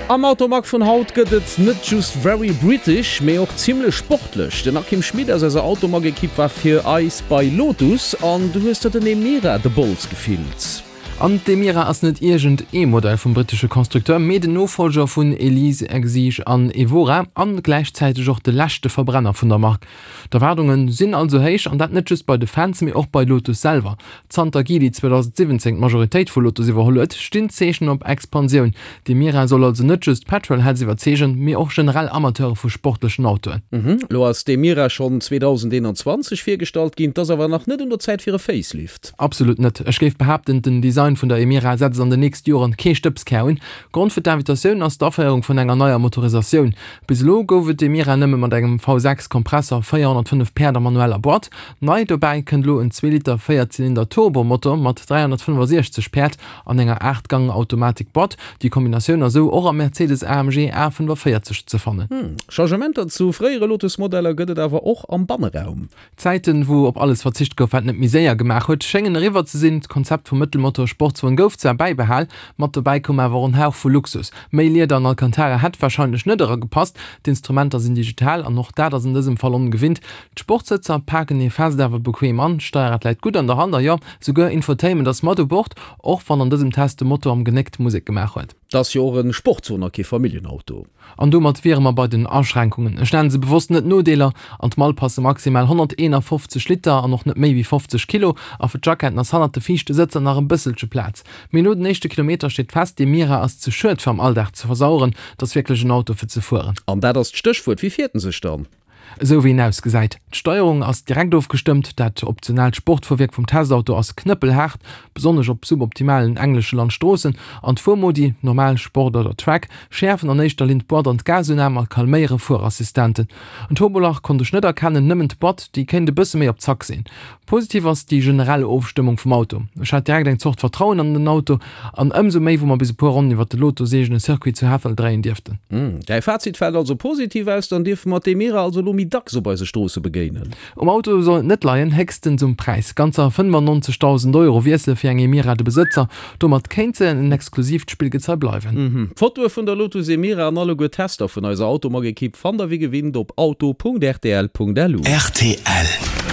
Am Automag vun haut gëtt et net just very British, mee och zimmlech sportlech. Den Akim Schmit aus eiser Automag-Ekipp war fir eis bei Lotus an du hues der den Emira de Bols gefillt. An d'Emira ass net iergend ee Modell vum brittesche Constructeur, mee den Nofollger vun Elise, Exige an Evora an gläichzäiteg och de leschte Verbrenner vun der Mark. D'Erwaardunge sinn also héich, an dat net just bei de Fans, mee och bei Lotus selwer. Zanter Geely 2017 d'Majoritéit vu Lotus iwwerholl huet, stinn d'Zeechen op Expansioun. D'Emira soll also net just Petrolheads iwwerzeegen, mee och generell Amateure vu sportlechen Autoen. Elo ass d'Emira schonn 2021 virgestallt ginn, 't ass awer nach net un der Zäit fir e Facelift. Absolut net. Ech géif behaapten, den Design vun der Emira setzt an den nächste Joren kee Stëbskär un. Grond fir d'Invitatioun ass d'Aféierung vun enger neier Motorisatioun. Bis elo gouf et d'Emira nëmme mat engem V6 Kompressor, 405 Päerd a manueller Boîte. Nei dobäi kënnt elo en Zweeliter Véierzylinder Turbomotor mat 365 Päerd an enger 8 Gang Automatik Boîte. Déi Kombinatioun ass esou och am Mercedes AMG A45 ze fannen. Changementer zu fréiere Lotus Modeller gëtt et awer och am Banneraum. D'Zäiten, wou op alles verzicht gouf, wat net méi séier gemaach huet, schéngen eriwwer ze sinn. D'Konzept vum Mëttelmotor-Sportswon gouf zwar bäibehal, mat dobäi koum awer och en Hauch vu Luxus. Méi Lieder an Alcantara hätt warscheinlech net eragepasst. D'Instrumenter sinn digital an och dat ass an dësem Fall ongewinnt. D'Sportsëtzer paken ee fest awer bequem an, d'Steierrad läit gutt an der Hand a jo, souguer Infotainment ass mat u Bord, och wann an dësem Test de Motor am Genéck d'Musek gemaach huet. 't ass jo och e Sportswon a kee Familljenauto. An domat wiere mer bei den Aschränkungen. Ech nennen se bewosst net Nodeeler. An d'Mall passe maximal 151 Liter an och net méi wéi 50 Kilo. A fir d'Jacketten ass hannert de viischte Sëtzer nach e bësselche Plaz. Mee no den éischte Kilometer steet fest, dee Mira ass ze schued fir am Alldag ze versaueren. Et ass wierklech en Auto fir ze fueren. An dat ass d'Stéchwuert, Wéi fiert en sech dann? Esou wéi en ausgesäit. D'Steierung ass direkt ofgestëmmt, dat optionaalt Sportfuerwierk vum Testauto ass knëppelhaart, besonnesch op suboptimalen englesche Landstroossen, an d'Fuermodi, Normal, Sport oder Track, schäerfen an éischter Linn d'Boîte an d'Gasunam a calméiere Fuerassistenten. En Turbolach konnt ech net erkennen, nëmmen d'Boîte, déi kéint e bësse méi op Zack sinn. Positiv ass déi generell Ofstëmmung vum Auto. Ech hat direkt eng Zort Vertrauen an den Auto, an ëmsou méi wou mer bis e puer Ronnen iwwert de Lotus-eegene Circuit zu Hethel dréien dierften. Däi Fazit fält also positiv aus, dann dierfe mer d'Emira also elo méi dacks op eise Stroosse begéinen. Um Auto soll et net leien, héchstens um Präis. Ganzer 95.000 Euro wiessele fir eng Emira de Besëtzer. Domat kéint se en exklusiivt Spillgezei bleiwen. Fotoe vun der Lotus Emira an alleguer Tester vun eiser Automag-Ekipp fannt der wéi gewinnt op auto.rtl.lu. Rtl.